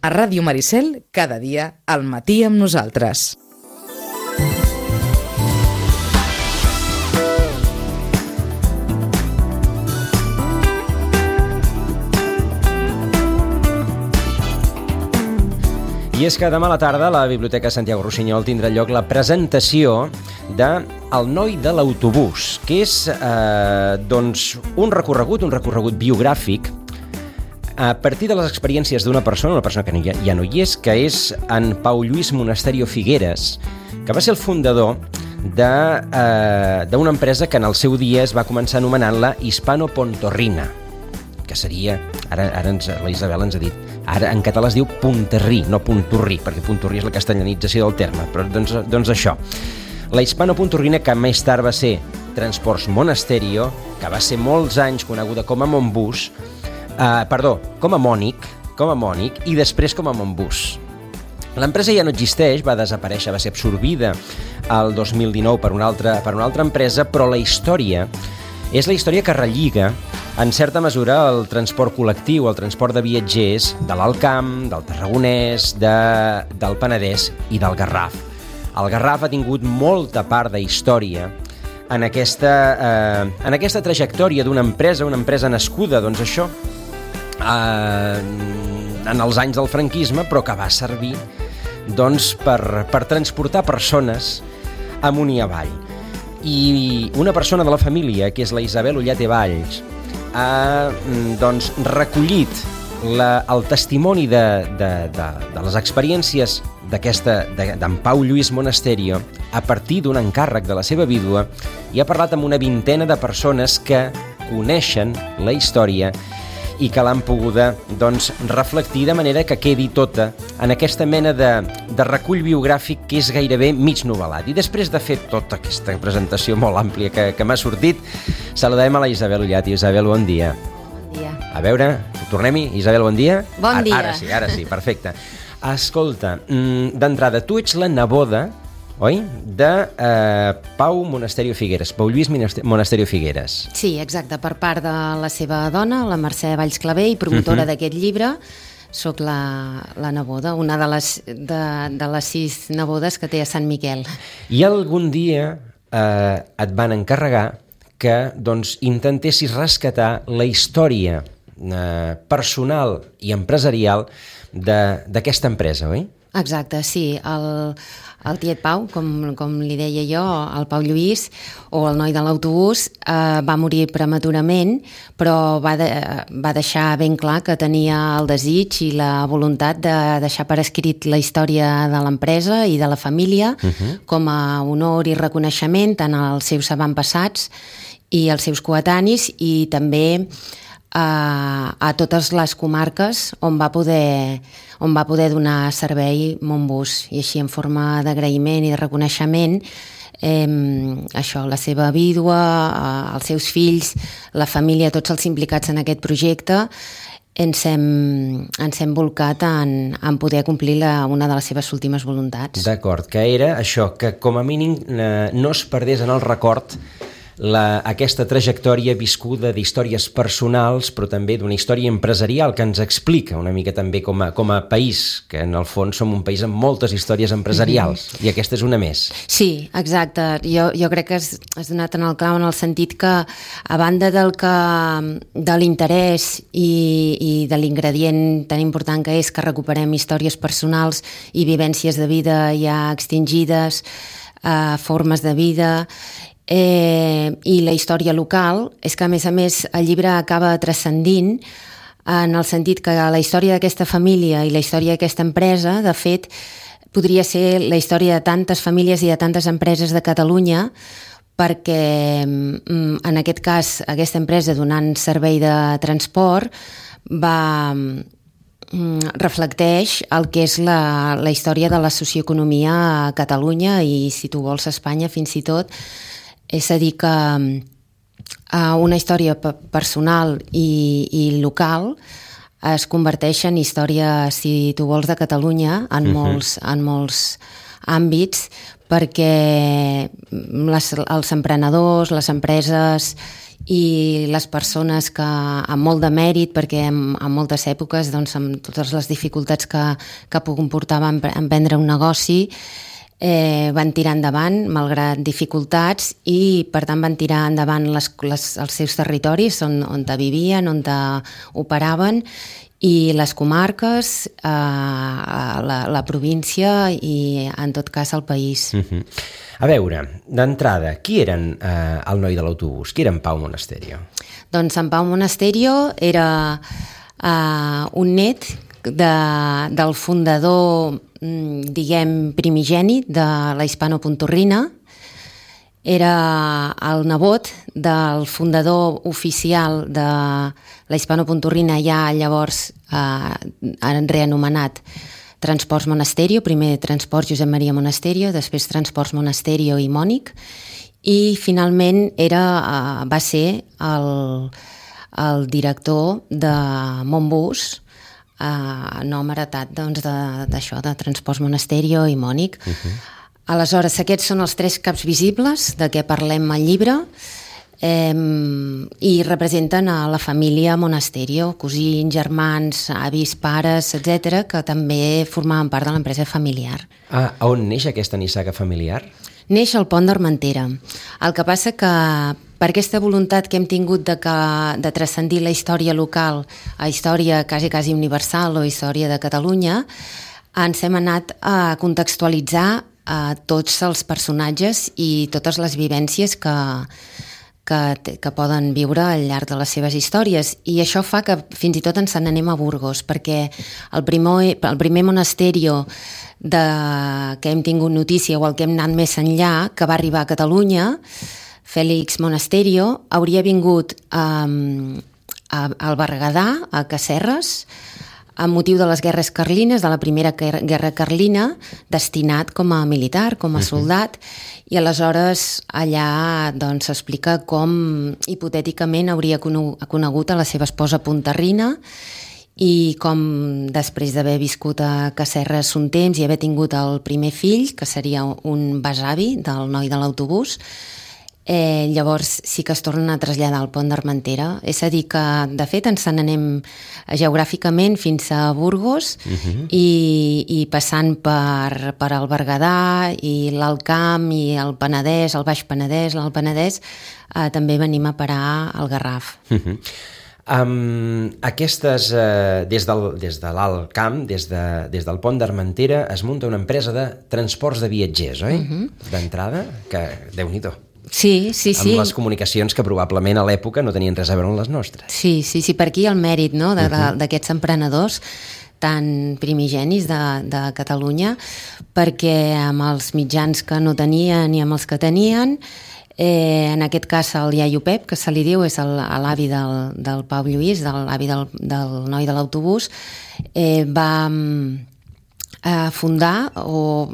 A Ràdio Maricel, cada dia, al matí amb nosaltres. I és que demà a la tarda a la Biblioteca Santiago Rossinyol tindrà lloc la presentació de El noi de l'autobús, que és un recorregut biogràfic a partir de les experiències d'una persona que ja no hi és, que és en Pau Lluís Monasterio Figueres, que va ser el fundador d'una empresa que en el seu dia es va començar anomenant-la Hispano-Pontorrina, que seria, ara la Isabel ens ha dit, ara en català es diu Punterrí, no Punturrí, perquè Punturrí és la castellanització del terme, però doncs això. La Hispano-Pontorrina, que més tard va ser Transports Monasterio, que va ser molts anys coneguda com a Montbus, com a Mònic, i després com a Montbus. L'empresa ja no existeix, va desaparèixer, va ser absorbida el 2019 per una altra empresa, però la història és la història que relliga en certa mesura el transport col·lectiu, el transport de viatgers de l'Alt Camp, del Tarragonès, del Penedès i del Garraf. El Garraf ha tingut molta part de història en aquesta trajectòria d'una empresa nascuda, doncs això, en els anys del franquisme, però que va servir doncs, per transportar persones amunt i avall. I una persona de la família, que és la Isabel Ollate Valls, ha doncs, recollit el testimoni de les experiències d'en Pau Lluís Monasterio a partir d'un encàrrec de la seva vídua i ha parlat amb una vintena de persones que coneixen la història i que l'han poguda doncs, reflectir de manera que quedi tota en aquesta mena de recull biogràfic que és gairebé mig novel·lat. I després de fer tota aquesta presentació molt àmplia que m'ha sortit, saludem a la Isabel Ollate. Isabel, bon dia. Bon dia. A veure, tornem-hi. Isabel, bon dia. Bon dia. Ara sí, perfecte. Escolta, d'entrada, tu ets la neboda, oi? De Pau Monasterio Figueres, Pau Lluís Monasterio Figueres. Sí, exacte, per part de la seva dona, la Mercè Valls Clavé, i promotora d'aquest llibre. Soc la neboda, una de les 6 nebodes que té a Sant Miquel. I algun dia et van encarregar que doncs, intentessis rescatar la història personal i empresarial d'aquesta empresa, oi? Exacte, sí. El tiet Pau, com li deia jo, el Pau Lluís, o el noi de l'autobús, va morir prematurament, però va deixar ben clar que tenia el desig i la voluntat de deixar per escrit la història de l'empresa i de la família com a honor i reconeixement tant als seus avantpassats i als seus coetanis i també a totes les comarques on va poder donar servei Montbus, i així en forma d'agraïment i de reconeixement això, la seva vídua, els seus fills, la família, tots els implicats en aquest projecte, ens hem volcat en poder complir una de les seves últimes voluntats. D'acord, que era això, que com a mínim no es perdés en el record aquesta trajectòria viscuda d'històries personals, però també d'una història empresarial que ens explica una mica també com a país, que en el fons som un país amb moltes històries empresarials, i aquesta és una més. Sí, exacte. Jo crec que has donat en el clau en el sentit que, a banda de l'interès i de l'ingredient tan important que és que recuperem històries personals i vivències de vida ja extingides, formes de vida, i la història local, és que a més el llibre acaba transcendint en el sentit que la història d'aquesta família i la història d'aquesta empresa, de fet, podria ser la història de tantes famílies i de tantes empreses de Catalunya, perquè en aquest cas aquesta empresa donant servei de transport reflecteix el que és la història de la socioeconomia a Catalunya i, si tu vols, a Espanya fins i tot. És a dir, que una història personal i local es converteix en història, si tu vols, de Catalunya en molts àmbits, perquè els emprenedors, les empreses i les persones que amb molt de mèrit, perquè en moltes èpoques, doncs, amb totes les dificultats que comportaven emprendre un negoci, van tirar endavant malgrat dificultats i per tant van tirar endavant els seus territoris on vivien, on operaven, i les comarques, la província i en tot cas el país. A veure, d'entrada, qui eren el noi de l'autobús? Qui era en Pau Monasterio? Doncs en Pau Monasterio era un net del fundador, diguem, primigeni de la Hispano-Pontorrina. Era el nebot del fundador oficial de la Hispano-Pontorrina, ja llavors reanomenat Transports Monasterio, primer Transports Josep Maria Monasterio, després Transports Monasterio i Mònic, i finalment va ser el director de Montbus, nom heretat d'això, de Transports Monasterio i Mònic. Aleshores, aquests són els 3 caps visibles de què parlem al llibre, i representen a la família Monasterio, cosins, germans, avis, pares, etc., que també formaven part de l'empresa familiar. On neix aquesta nissaga familiar? Neix al Pont d'Armentera. El que passa que per aquesta voluntat que hem tingut de transcendir la història local a història quasi universal o història de Catalunya, ens hem anat a contextualitzar tots els personatges i totes les vivències que poden viure al llarg de les seves històries, i això fa que fins i tot ens n'anem a Burgos, perquè el primer monasterio que hem tingut notícia, o el que hem anat més enllà, que va arribar a Catalunya, Fèlix Monasterio, hauria vingut al Berguedà, a Casserres, amb motiu de les guerres carlines, de la primera guerra carlina, destinat com a militar, com a soldat, i aleshores allà s'explica com hipotèticament hauria conegut a la seva esposa Pontarrina, i com després d'haver viscut a Casserres un temps i haver tingut el primer fill, que seria un besavi del noi de l'autobús, llavors sí que es tornen a traslladar al Pont d'Armentera. És a dir que, de fet, ens n'anem geogràficament fins a Burgos, i passant per el Berguedà i l'Alt Camp i el Penedès, el Baix Penedès, l'Alt Penedès, també venim a parar al Garraf. Aquestes, des de l'Alt Camp, des del Pont d'Armentera, es munta una empresa de transports de viatgers, oi? D'entrada, que Déu-n'hi-do. Sí. Amb les comunicacions que probablement a l'època no tenien res a veure amb les nostres. Sí, per aquí el mèrit, no?, d'aquests emprenedors tan primigenis de Catalunya, perquè amb els mitjans que no tenien i amb els que tenien, en aquest cas el iaio Pep, que se li diu, és l'avi del Pau Lluís, l'avi del noi de l'autobús, va fundar o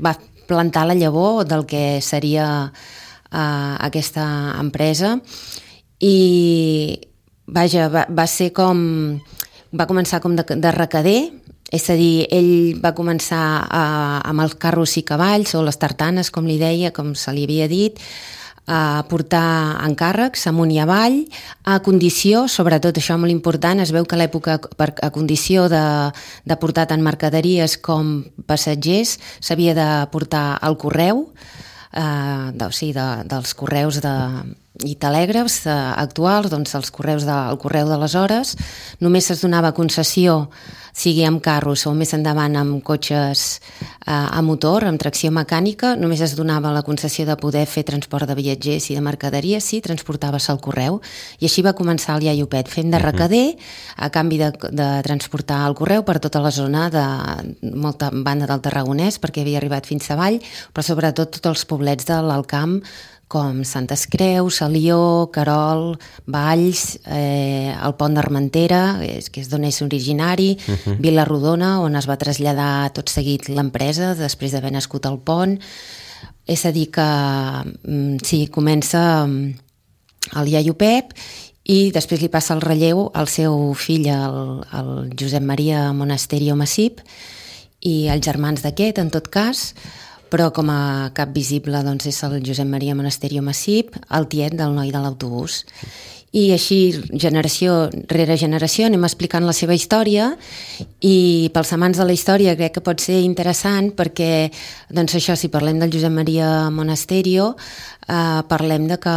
va plantar la llavor del que seria aquesta empresa, i vaja, va començar com de recader, és a dir, ell va començar amb els carros i cavalls, o les tartanes, com li deia, com se li havia dit, a portar encàrrecs amunt i avall, a condició, sobretot això molt important, es veu que a l'època, a condició de portar tant mercaderies com passatgers, s'havia de portar el correu, dels correus i telègrafs actuals, doncs el correu d'aleshores. Només es donava concessió, sigui amb carros o més endavant amb cotxes a motor, amb tracció mecànica, només es donava la concessió de poder fer transport de viatgers i de mercaderies si transportaves el correu. I així va començar el iaio Pep, fent de recader a canvi de transportar el correu per tota la zona de molta banda del Tarragonès, perquè havia arribat fins a Vall, però sobretot tots els poblets de l'Alt Camp, com Santes Creus, Alió, Querol, Valls, el Pont d'Armentera, que és d'on és originari, Vila-rodona, on es va traslladar tot seguit l'empresa després d'haver nascut al pont. És a dir que sí, comença el iaio Pep i després li passa el relleu al seu fill, el Josep Maria Monasterio Massip, i els germans d'aquest, en tot cas, però com a cap visible doncs, és el Josep Maria Monasterio Massip, el tiet del noi de l'autobús. I així, generació rere generació, anem explicant la seva història, i pels amants de la història crec que pot ser interessant perquè, doncs això, si parlem del Josep Maria Monasterio, parlem de que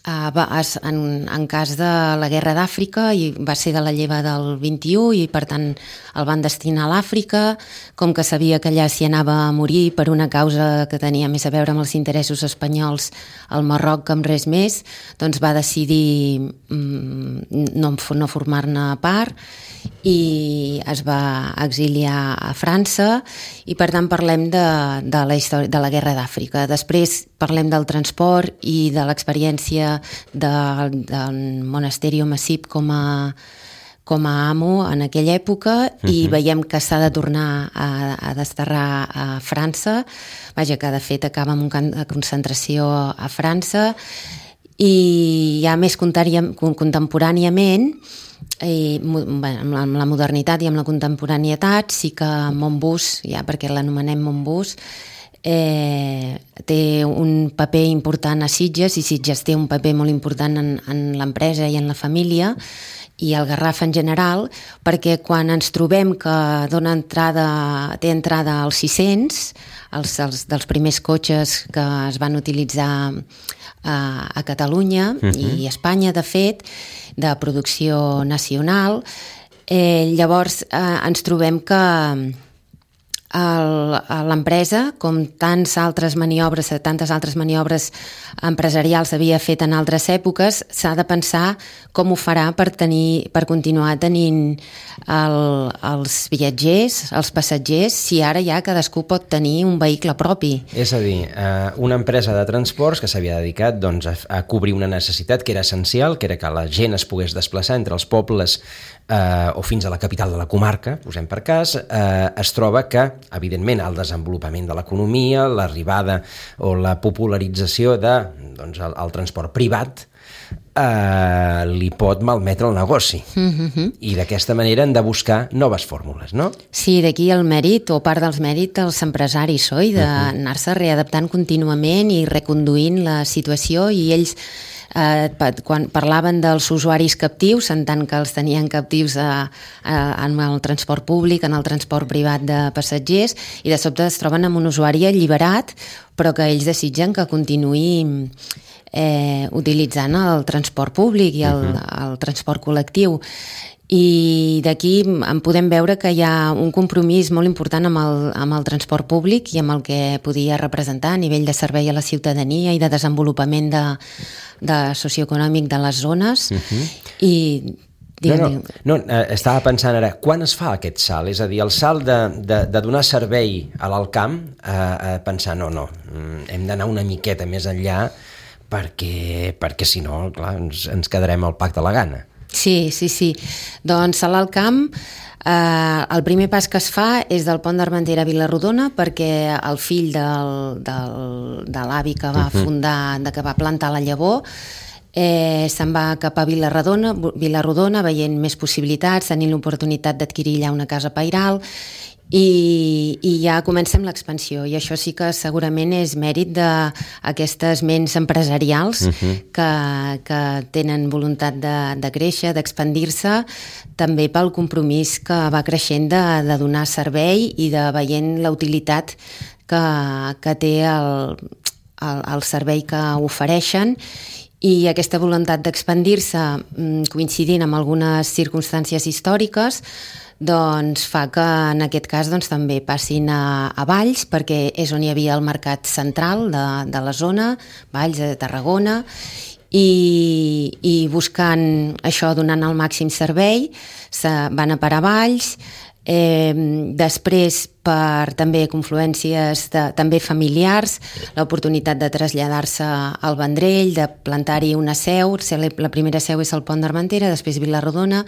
en cas de la guerra d'Àfrica, i va ser de la lleva del 21 i per tant el van destinar a l'Àfrica, com que sabia que allà s'hi anava a morir per una causa que tenia més a veure amb els interessos espanyols al Marroc que amb res més, doncs va decidir no formar-ne part i es va exiliar a França, i per tant parlem de la història de la guerra d'Àfrica. Després parlem del transport i de l'experiència del Monasterio Massip com a amo en aquella època, i veiem que s'ha de tornar a desterrar a França, vaja, que de fet acaba amb un camp de concentració a França, i ja més contemporàniament, amb la modernitat i amb la contemporaneitat, sí que Montbus, ja perquè l'anomenem Montbus, té un paper important a Sitges, i Sitges té un paper molt important en l'empresa i en la família, i el Garraf en general, perquè quan ens trobem que té entrada als 600, dels primers cotxes que es van utilitzar a Catalunya i a Espanya, de fet, de producció nacional, llavors ens trobem que l'empresa, com tantes altres maniobres empresarials havia fet en altres èpoques, s'ha de pensar com ho farà per continuar tenint els viatgers, els passatgers, si ara ja cadascú pot tenir un vehicle propi. És a dir, una empresa de transports que s'havia dedicat a cobrir una necessitat que era essencial, que era que la gent es pogués desplaçar entre els pobles o fins a la capital de la comarca, posem per cas, es troba que, evidentment, el desenvolupament de l'economia, l'arribada o la popularització del transport privat li pot malmetre el negoci. I d'aquesta manera hem de buscar noves fórmules, no? Sí, d'aquí el mèrit, o part dels mèrits dels empresaris, oi? D'anar-se readaptant contínuament i reconduint la situació, i ells quan parlaven dels usuaris captius, en tant que els tenien captius en el transport públic, en el transport privat de passatgers, i de sobte es troben amb un usuari alliberat, però que ells desitgen que continuï utilitzant el transport públic i el transport col·lectiu. I d'aquí en podem veure que hi ha un compromís molt important amb el transport públic i amb el que podia representar a nivell de servei a la ciutadania i de desenvolupament socioeconòmic de les zones. No, estava pensant ara, quan es fa aquest salt? És a dir, el salt de donar servei a l'alt camp, a pensar, no, hem d'anar una miqueta més enllà perquè si no, clar, ens quedarem al Pac de la Gana. Sí. Doncs a l'alt camp el primer pas que es fa és del Pont d'Armentera a Vila-rodona, perquè el fill de l'avi que va fundar, que va plantar la llavor, se'n va cap a Vila-rodona veient més possibilitats, tenint l'oportunitat d'adquirir allà una casa pairal, i ja comencem l'expansió, i això sí que segurament és mèrit d'aquestes ments empresarials que tenen voluntat de créixer, d'expandir-se, també pel compromís que va creixent de donar servei i de veient la utilitat que té el servei que ofereixen. I aquesta voluntat d'expandir-se, coincidint amb algunes circumstàncies històriques, doncs fa que en aquest cas també passin a Valls, perquè és on hi havia el mercat central de la zona, Valls de Tarragona, i buscant això, donant el màxim servei, van a parar a Valls. Després, per també confluències també familiars, l'oportunitat de traslladar-se al Vendrell, de plantar-hi una seu. La primera seu és el Pont d'Armentera, després Vila-rodona,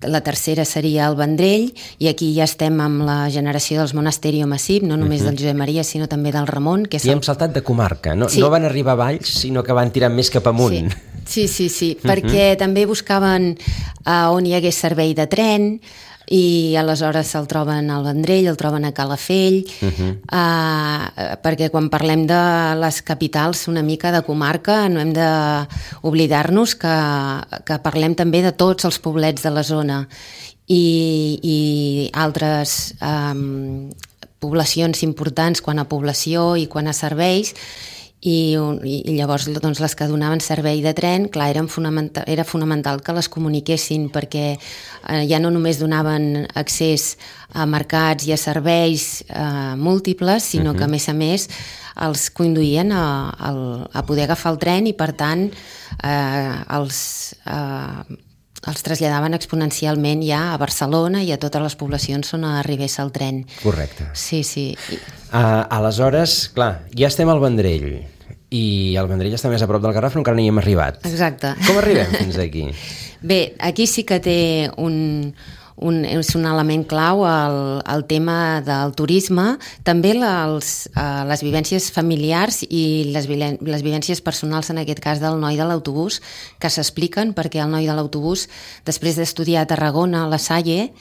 la tercera seria el Vendrell, i aquí ja estem amb la generació dels Monasterio Massip, no només del Josep Maria, sinó també del Ramon. I hem saltat de comarca, no van arribar a Valls, sinó que van tirar més cap amunt. Sí, perquè també buscaven on hi hagués servei de tren, i aleshores se'l troben al Vendrell, el troben a Calafell, perquè quan parlem de les capitals una mica de comarca no hem d'oblidar-nos que parlem també de tots els poblets de la zona i altres poblacions importants quant a població i quant a serveis, i llavors doncs, les que donaven servei de tren, clar, era fonamental que les comuniquessin, perquè ja no només donaven accés a mercats i a serveis múltiples, sinó que a més els conduïen a poder agafar el tren i per tant els traslladaven exponencialment ja a Barcelona i a totes les poblacions on arribés el tren. Correcte. Sí. Aleshores, clar, ja estem al Vendrell i el Vendrell està més a prop del Garraf, però encara no hi hem arribat. Exacte. Com arribem fins aquí? Bé, aquí sí que té és un element clau el tema del turisme, també les vivències familiars i les vivències personals, en aquest cas del noi de l'autobús, que s'expliquen perquè el noi de l'autobús, després d'estudiar a Tarragona, a la Salle,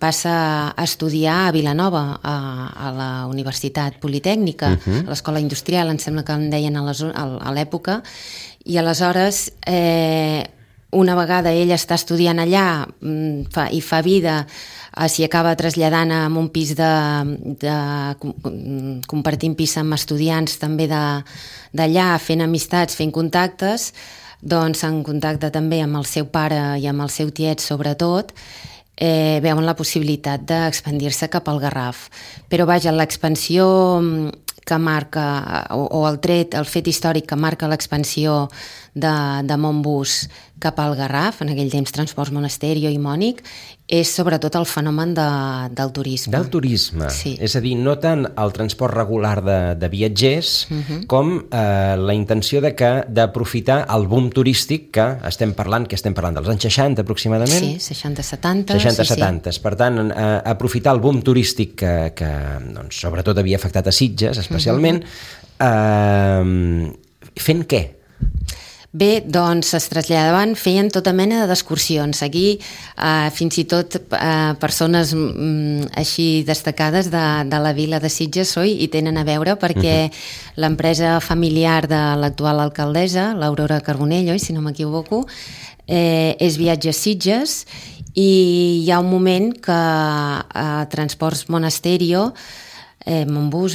passa a estudiar a Vilanova, a la Universitat Politècnica, a l'Escola Industrial, em sembla que en deien a l'època, i aleshores una vegada ell està estudiant allà i fa vida, s'hi acaba traslladant a un pis compartint pis amb estudiants també d'allà, fent amistats, fent contactes, doncs en contacte també amb el seu pare i amb el seu tiet sobretot, veuen la possibilitat d'expandir-se cap al Garraf. Però vaja, l'expansió que marca, o el fet històric que marca l'expansió de Montbus cap al Garraf, en aquell temps Transports Monasterio i Mònic, és sobretot el fenomen del turisme. Del turisme, sí. És a dir, no tant el transport regular de viatgers com la intenció d'aprofitar el boom turístic que estem parlant dels anys 60 aproximadament? Sí, 60-70. 60-70, per tant, aprofitar el boom turístic que doncs, sobretot havia afectat a Sitges, especialment, fent què? Bé, doncs es traslladaven, feien tota mena d'excursions. Aquí, fins i tot persones així destacades de la vila de Sitges hi tenen a veure, perquè l'empresa familiar de l'actual alcaldessa, l'Aurora Carbonell, si no m'equivoco, és Viatges Sitges, i hi ha un moment que Transports Monasterio, Montbus,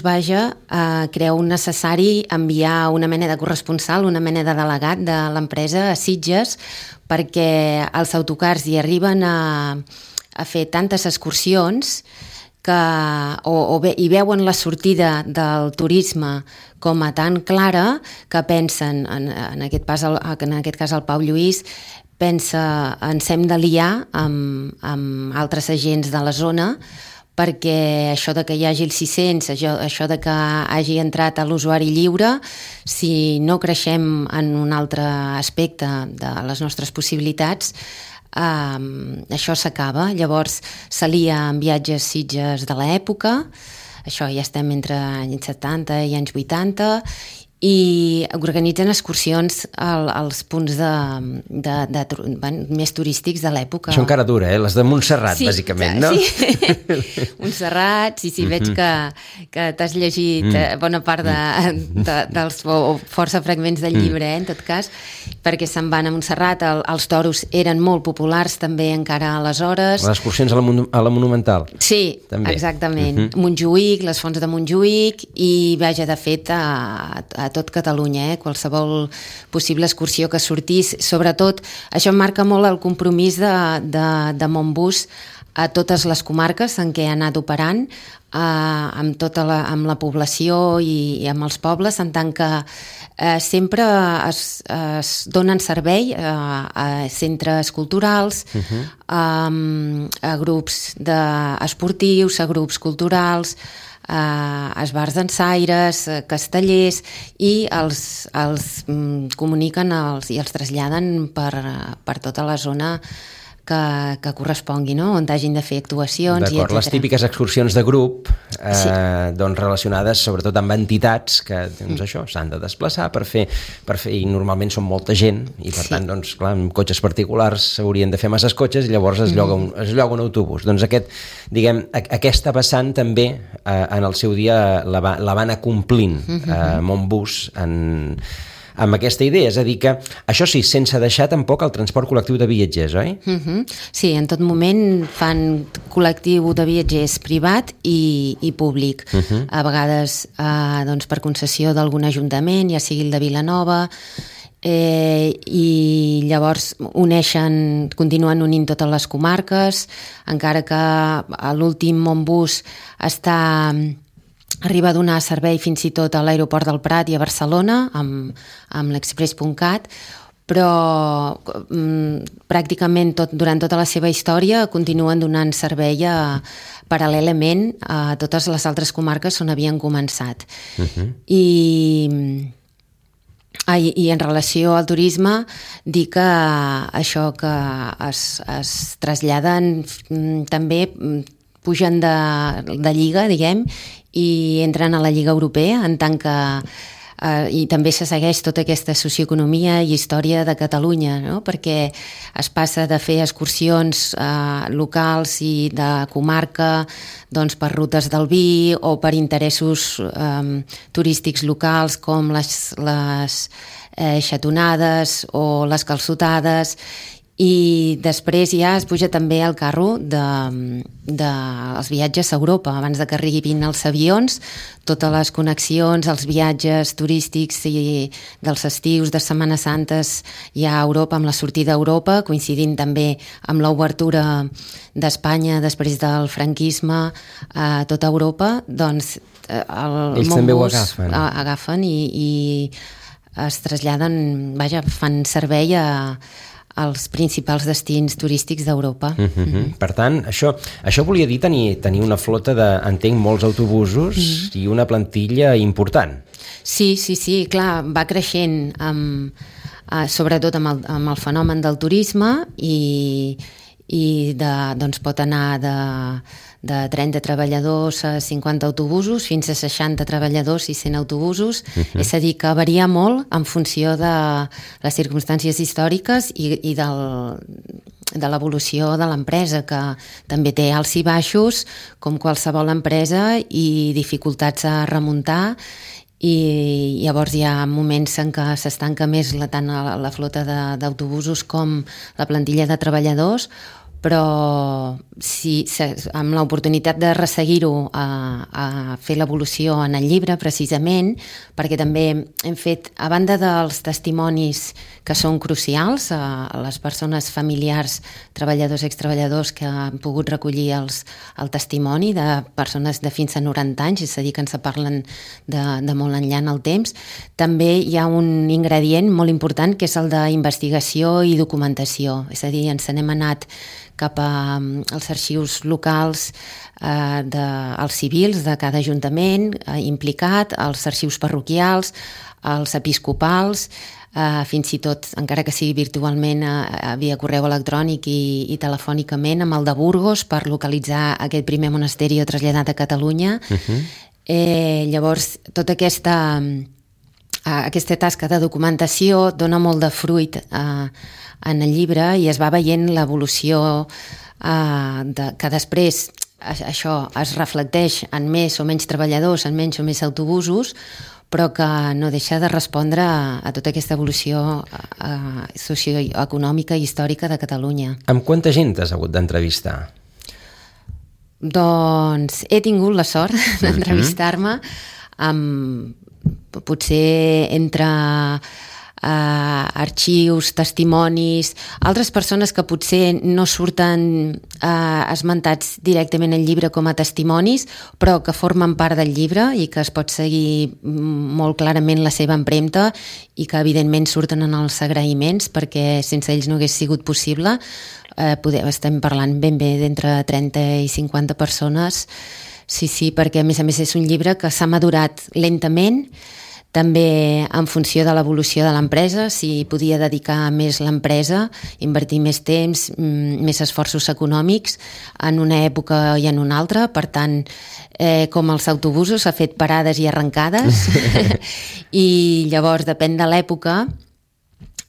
creu necessari enviar una mena de corresponsal, una mena de delegat de l'empresa a Sitges, perquè els autocars hi arriben a fer tantes excursions i veuen la sortida del turisme com a tan clara que pensen, en aquest cas el Pau Lluís, pensa ens hem de liar amb altres agents de la zona, perquè això de que hi hagi el 600, això de que hagi entrat a l'usuari lliure, si no creixem en un altre aspecte de les nostres possibilitats, això s'acaba. Llavors s'alia amb Viatges Sitges de l'època, això ja estem entre anys 70 i anys 80, i organitzen excursions als punts més turístics de l'època. Això encara dura, les de Montserrat, bàsicament, no? Sí, Montserrat, sí, veig que t'has llegit bona part dels força fragments del llibre, en tot cas, perquè se'n van a Montserrat. Els toros eren molt populars també encara aleshores. Les excursions a la Monumental. Sí, també. Exactament. Montjuïc, les fonts de Montjuïc, i vaja, de fet, a tot Catalunya, qualsevol possible excursió que sortís. Sobretot, això marca molt el compromís de Montbus a totes les comarques en què ha anat operant, amb la població i amb els pobles, en tant que sempre es donen servei a centres culturals, a grups esportius, a grups culturals, esbars dansaires, castellers, i els comuniquen i els traslladen per tota la zona que correspongui, no? On hagin de fer actuacions. D'acord, les típiques excursions de grup doncs relacionades sobretot amb entitats que doncs això s'han de desplaçar per fer i normalment són molta gent i per tant doncs clar, amb cotxes particulars s'haurien de fer masses cotxes i llavors es lloga un autobús. Doncs aquesta vessant també en el seu dia la va anar complint Montbus amb aquesta idea, és a dir que això sí, sense deixar tampoc el transport col·lectiu de viatgers, oi? Sí, en tot moment fan col·lectiu de viatgers privat i públic. A vegades doncs, per concessió d'algun ajuntament, ja sigui el de Vilanova, i llavors continuen unint totes les comarques, encara que l'últim Montbus arriba a donar servei fins i tot a l'aeroport del Prat i a Barcelona amb l'Express.cat, però pràcticament durant tota la seva història continuen donant servei paral·lelament a totes les altres comarques on havien començat. I en relació al turisme dir que això que es traslladen també pugen de lliga, diguem, i entren a la Lliga Europea en tant que i també se segueix tota aquesta socioeconomia i història de Catalunya, no? Perquè es passa de fer excursions locals i de comarca doncs, per rutes del vi o per interessos turístics locals com les xatonades o les calçotades, i després ja es puja també al carro dels viatges a Europa. Abans de que arribin els avions, totes les connexions, els viatges turístics i dels estius, de Setmanes Santes ja a Europa, amb la sortida a Europa, coincidint també amb l'obertura d'Espanya després del franquisme a tota Europa, doncs ells també ho agafen i es traslladen, fan servei als principals destins turístics d'Europa. Per tant, això volia dir tenir una flota entenc, molts autobusos i una plantilla important. Sí, clar, va creixent sobretot amb el fenomen del turisme i doncs pot anar de 30 treballadors a 50 autobusos fins a 60 treballadors i 100 autobusos. És a dir, que varia molt en funció de les circumstàncies històriques i de l'evolució de l'empresa, que també té alts i baixos com qualsevol empresa i dificultats a remuntar, i llavors hi ha moments en què s'estanca més tant la flota d'autobusos com la plantilla de treballadors, però sí, amb l'oportunitat de resseguir-ho a fer l'evolució en el llibre, precisament, perquè també hem fet, a banda dels testimonis que són crucials, a les persones familiars, treballadors i extreballadors que han pogut recollir el testimoni de persones de fins a 90 anys, és a dir, que ens parlen de molt enllà en el temps, també hi ha un ingredient molt important que és el d'investigació i documentació, és a dir, ens n'hem anat cap als arxius locals dels civils de cada ajuntament implicat, als arxius parroquials, als episcopals, fins i tot, encara que sigui virtualment, via correu electrònic i telefònicament, amb el de Burgos per localitzar aquest primer monasteri traslladat a Catalunya. Llavors, tota aquesta tasca de documentació dona molt de fruit en el llibre i es va veient l'evolució que després això es reflecteix en més o menys treballadors, en menys o més autobusos, però que no deixa de respondre a tota aquesta evolució socioeconòmica i històrica de Catalunya. Amb quanta gent has hagut d'entrevistar? Doncs he tingut la sort d'entrevistar-me amb potser entre arxius, testimonis, altres persones que potser no surten esmentats directament al llibre com a testimonis, però que formen part del llibre i que es pot seguir molt clarament la seva empremta i que evidentment surten en els agraïments, perquè sense ells no hagués sigut possible. Estem parlant ben bé d'entre 30 i 50 persones. Sí, perquè a més és un llibre que s'ha madurat lentament. també en funció de l'evolució de l'empresa, si podia dedicar més l'empresa, invertir més temps, més esforços econòmics en una època i en una altra. Per tant, com els autobusos, ha fet parades i arrencades i llavors depèn de l'època,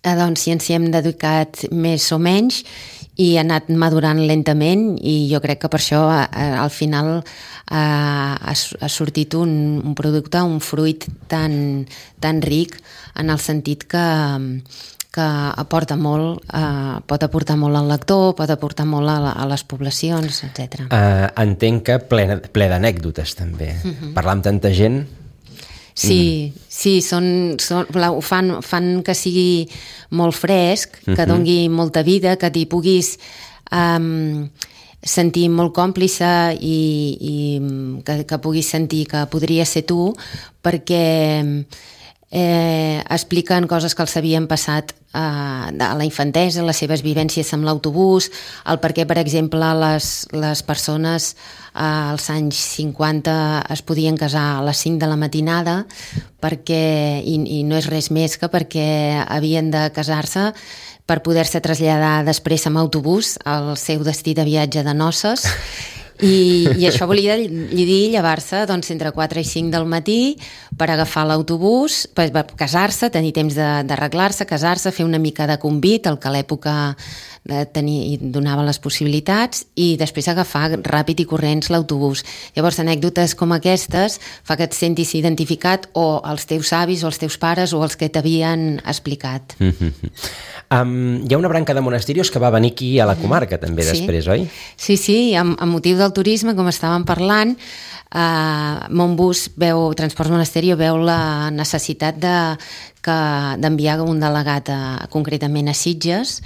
doncs si ens hi hem dedicat més o menys i ha anat madurant lentament, i jo crec que per això al final ha sortit un producte, un fruit tan ric, en el sentit que aporta molt, pot aportar molt al lector, pot aportar molt a les poblacions, etc. Entenc que ple d'anècdotes també. Parlar amb tanta gent... Sí, ho fan que sigui molt fresc, que dongui molta vida, que t'hi puguis sentir molt còmplice i que puguis sentir que podria ser tu, perquè expliquen coses que els havien passat a la infantesa, les seves vivències amb l'autobús, el per què, per exemple, les persones als anys 50 es podien casar a les 5 de la matinada i no és res més que perquè havien de casar-se per poder-se traslladar després amb autobús al seu destí de viatge de noces. I això volia dir llevar-se entre 4 i 5 del matí per agafar l'autobús, per casar-se, tenir temps d'arreglar-se, casar-se, fer una mica de convit, el que a l'època donava les possibilitats, i després agafar ràpid i corrents l'autobús. Llavors, anècdotes com aquestes fa que et sentis identificat o els teus avis o els teus pares o els que t'havien explicat. Hi ha una branca de monestirs que va venir aquí a la comarca també després, oi? Sí, amb motiu del turisme, com estàvem parlant, Montbus Transports Monasterio veu la necessitat d'enviar un delegat concretament a Sitges.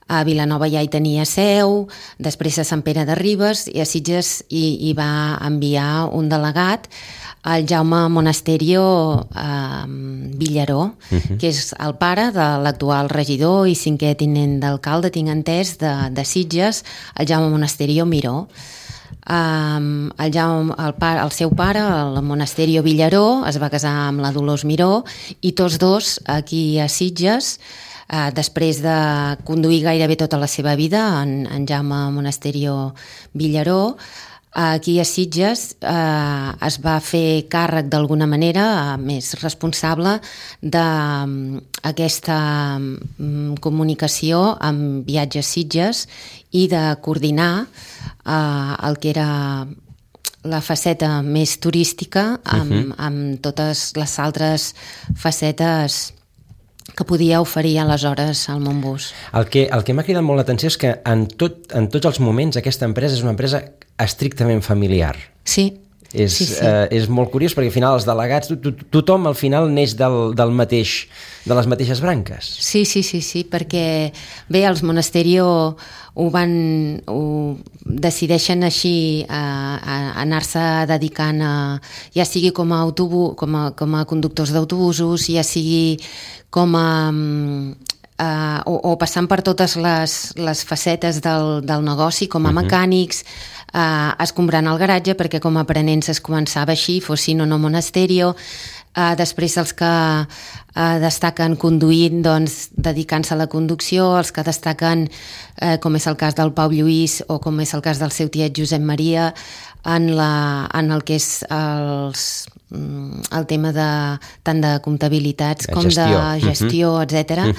A Vilanova ja hi tenia seu, després a Sant Pere de Ribes, i a Sitges hi va enviar un delegat, el Jaume Monasterio Villaró, que és el pare de l'actual regidor i 5è tinent d'alcalde, tinc entès, de Sitges, el Jaume Monasterio Miró. El seu pare, el Monasterio Villaró, es va casar amb la Dolors Miró, i tots dos aquí a Sitges, després de conduir gairebé tota la seva vida, en Jaume Monasterio Villaró, aquí a Sitges es va fer càrrec d'alguna manera, més responsable d'aquesta comunicació amb Viatges Sitges i de coordinar el que era la faceta més turística amb totes les altres facetes que podia oferir aleshores al Montbus. El que m'ha cridat molt l'atenció és que en tots els moments aquesta empresa és una empresa estrictament familiar. Sí. És molt curiós perquè al final els delegats, tothom al final neix de les mateixes branques. Sí, perquè bé, els Monasterio decideixen així anar-se dedicant ja sigui com a conductors d'autobusos, ja sigui com o passant per totes les facetes del negoci, com a mecànics, escombrant el garatge, perquè com a aprenents es començava així, fossin o no Monasterio. Després els que destaquen conduint, doncs dedicant-se a la conducció, els que destaquen, com és el cas del Pau Lluís o com és el cas del seu tiet Josep Maria, en el que és el tema tant de comptabilitats com de gestió, etc.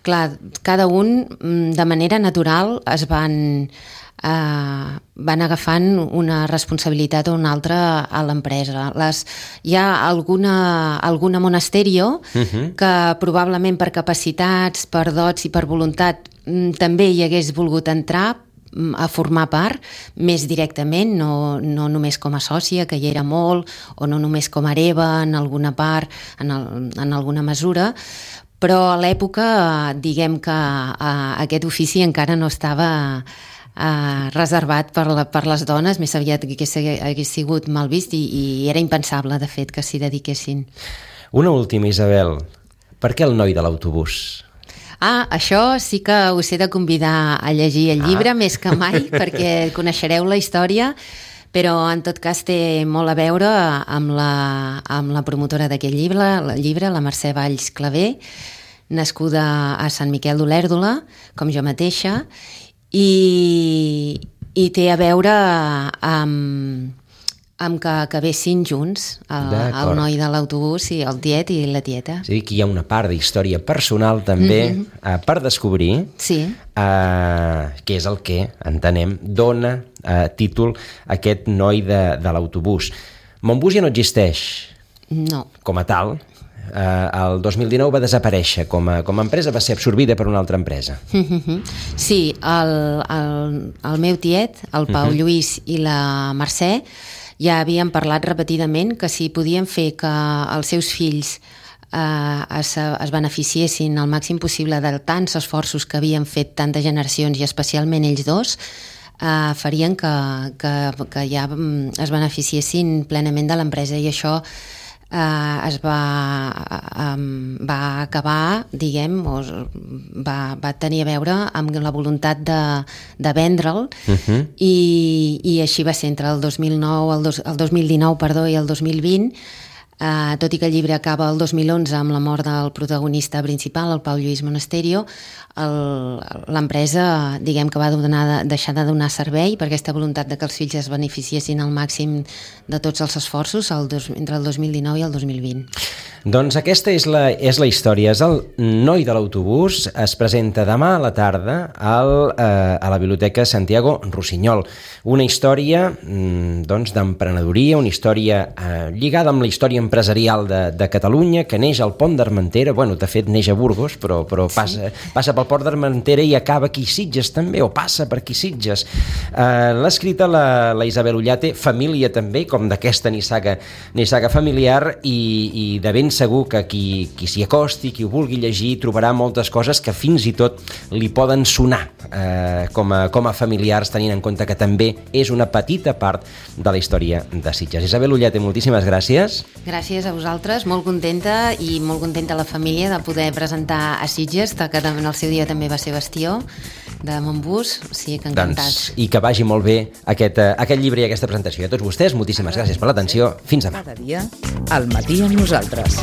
Clar, cada un de manera natural es van agafant una responsabilitat o una altra a l'empresa. Hi ha alguna Monasterio que probablement per capacitats, per dots i per voluntat també hi hagués volgut entrar a formar part més directament, no només com a sòcia, que hi era molt, o no només com a hereva en alguna part, en alguna mesura, però a l'època diguem que aquest ofici encara no estava reservat per les dones, més aviat que hagués sigut mal vist i era impensable, de fet, que s'hi dediquessin. Una última, Isabel. Per què el noi de l'autobús? Això sí que us he de convidar a llegir el llibre més que mai, perquè coneixereu la història Però en tot cas té molt a veure amb la promotora d'aquest llibre, la Mercè Valls Clavé, nascuda a Sant Miquel d'Olèrdola, com jo mateixa, i té a veure amb que acabessin junts el noi de l'autobús i el tiet i la tieta. És a dir, que hi ha una part d'història personal també per descobrir, que és el que, entenem, dona títol a aquest noi de l'autobús. Montbus ja no existeix com a tal. El 2019 va desaparèixer com a empresa, va ser absorbida per una altra empresa. Sí, el meu tiet, el Pau Lluís i la Mercè, ja havien parlat repetidament que si podien fer que els seus fills es beneficiessin al màxim possible de tants esforços que havien fet tantes generacions i especialment ells dos, farien que ja es beneficiessin plenament de l'empresa, i això es va acabar, diguem, va tenir a veure amb la voluntat de vendre'l, i així va ser entre el 2019 i el 2020, tot i que el llibre acaba el 2011 amb la mort del protagonista principal, el Pau Lluís Monasterio. L'empresa, diguem que va deixar de donar servei per aquesta voluntat de que els fills es beneficiessin al màxim de tots els esforços entre el 2019 i el 2020. Doncs aquesta és la història, és el noi de l'autobús. Es presenta demà a la tarda a la Biblioteca Santiago Rossinyol. Una història d'emprenedoria, una història lligada amb la història empresarial de Catalunya, que neix al Pont d'Armentera. Bueno, de fet neix a Burgos, però passa pel Port d'Armentera i acaba aquí a Sitges també, o passa per aquí a Sitges. L'ha escrita la Isabel Ullate, família també, com d'aquesta nissaga familiar, i de ben segur que qui s'hi acosti, qui ho vulgui llegir, trobarà moltes coses que fins i tot li poden sonar com a familiars, tenint en compte que també és una petita part de la història de Sitges. Isabel Ullate, moltíssimes gràcies. Gràcies a vosaltres, molt contenta, i molt contenta la família de poder presentar a Sitges, que en el seu dia també va ser bastió de Montbus, o sigui que encantats. I que vagi molt bé aquest llibre i aquesta presentació. I a tots vostès, moltíssimes gràcies per l'atenció. Fins demà. Cada dia, al matí amb nosaltres.